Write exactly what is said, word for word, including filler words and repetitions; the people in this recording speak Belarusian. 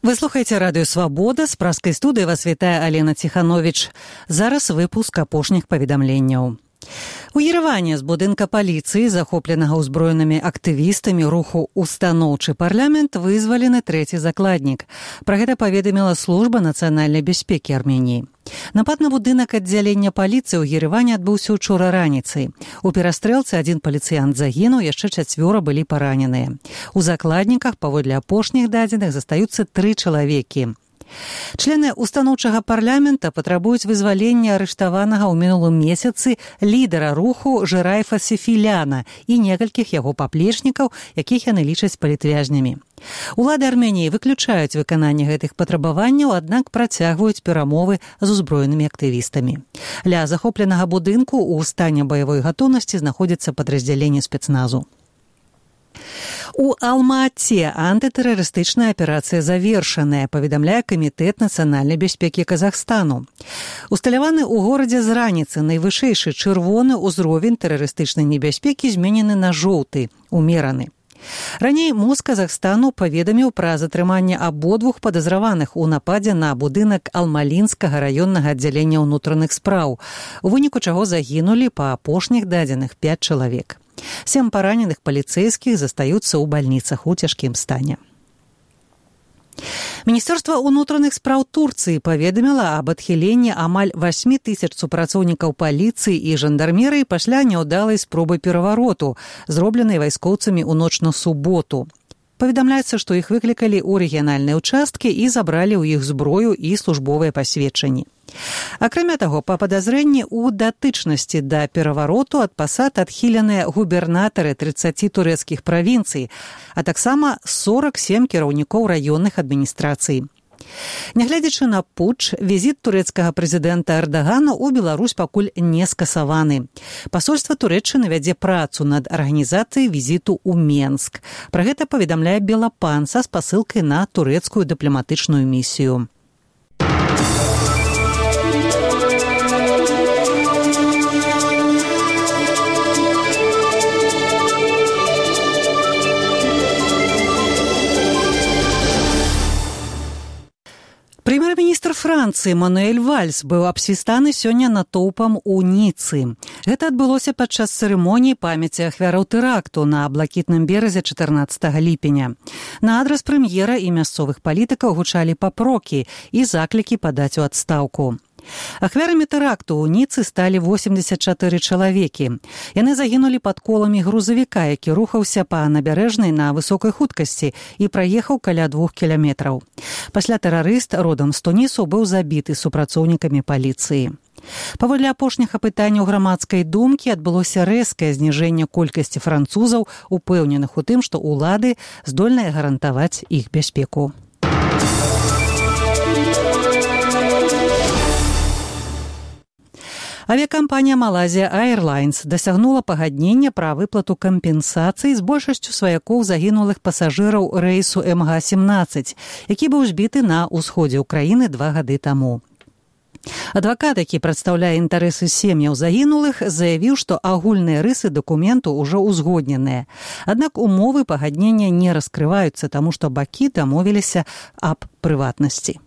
Вы слухаеце радыё «Свабода», з праскай студыі вас вітае Алена Ціхановіч. Зараз выпуск апошніх паведамленняў. У Ереване з будынка паліцыі, захопленага ўзброенымі актывістамі руху «Устаноўчы парламент», вызвалены трэці закладнік. Пра гэта паведаміла служба нацыянальнай бяспекі Арменіі. Напад на будынак аддзялення паліцыі ў Ереване адбыўся учора раніцай. У перастрэлцы адзін паліцыянт загінуў, яшчэ чацвёра былі параненыя. У закладніках, паводле апошніх дадзеных, застаюцца тры чалавекі. Члены устаноўчага парламента патрабуюць вызвалення арыштаванага ў мінулым месяцы лідара руху Жырайфа Сефіляна і некалькіх яго паплечнікаў, якіх яны лічаць палітвязнямі. Улады Арменіі выключаюць выкананне гэтых патрабаванняў, аднак працягваюць перамовы з узброенымі актывістамі. Ля захопленага будынку ў стане баявой гатоўнасці знаходзіцца падраздзяленне спецназу. У Алма-Ате антытэрарыстычная аперацыя завершаная, паведамляе Камітэт нацыянальнай бяспекі Казахстану. Усталяваны ў горадзе з раніцы найвышэйшы чырвоны ўзровень тэрарыстычнай небяспекі зменены на жоўты, умераны. Раней МОЗ Казахстану паведаміў пра затрыманне абодвух падазраваных у нападзе на будынак Алмалінскага раённага аддзялення ўнутраных спраў, у выніку чаго загінулі па апошніх дадзеных пяць чалавек. Сем параненых паліцэйскіх застаюцца ў бальніцах у цяжкім стане. Міністэрства ўнутраных спраў Турцыі паведаміла аб адхіленні амаль васьмі тысяч супрацоўнікаў паліцыі і жандармерыі пасля няўдалай спробы перавароту, зробленай вайскоўцамі ў ноч на суботу. Паведамляецца, што іх выклікалі ў рэгіянальныя ўчасткі і забралі ў іх зброю і службовыя пасведчанні. Акрамя таго, па падазрэнні ў датычнасці да перавароту ад пасад адхіленыя губернатары трыццаці турэцкіх правінцый, а таксама сорак сем кіраўнікоў раённых адміністрацый. Нягледзячы на путч, візіт турэцкага прэзідэнта Эрдагана ў Беларусь пакуль не скасаваны. Пасольства Турэччыны вядзе працу над арганізацыяй візіту ў Менск. Пра гэта паведамляе Белапан са спасылкай на турэцкую дыпламатычную місію. Прэм'ер-міністр Францыі Мануэль Вальс быў абсвістаны сёння натоўпам у Ніцы. Гэта адбылося падчас цырымоніі памяці ахвяраў тэракту на блакітным беразе чатырнаццатага ліпеня. На адрас прэм'ера і мясцовых палітыкаў гучалі папрокі і заклікі падаць у адстаўку. Ахвярамі тэракту ў Ніцы сталі восемдзесят чатыры чалавекі. Яны загінулі пад коламі грузавіка, які рухаўся па набярэжнай на высокай хуткасці і праехаў каля двух кіламетраў. Пасля тэрарыст родам з Тунісу быў забіты супрацоўнікамі паліцыі. Паводле апошніх апытанняў грамадскай думкі адбылося рэзкае зніжэнне колькасці французаў, упэўненых у тым, што ўлады здольныя гарантаваць іх бяспеку. Авіякампанія Малайзія Airlines дасягнула пагаднення пра выплату кампенсацыі з большасцю сваякоў загінулых пасажыраў рэйсу эм га семнаццаць, які быў збіты на ўсходзе ўкраіны два гады таму. Адвакат, які прадстаўляе інтарэсы сем'яў загінулых, заявіў, што агульныя рысы дакументу ўжо ўзгодненыя. Аднак умовы пагаднення не раскрываюцца, таму што бакі дамовіліся аб прыватнасці.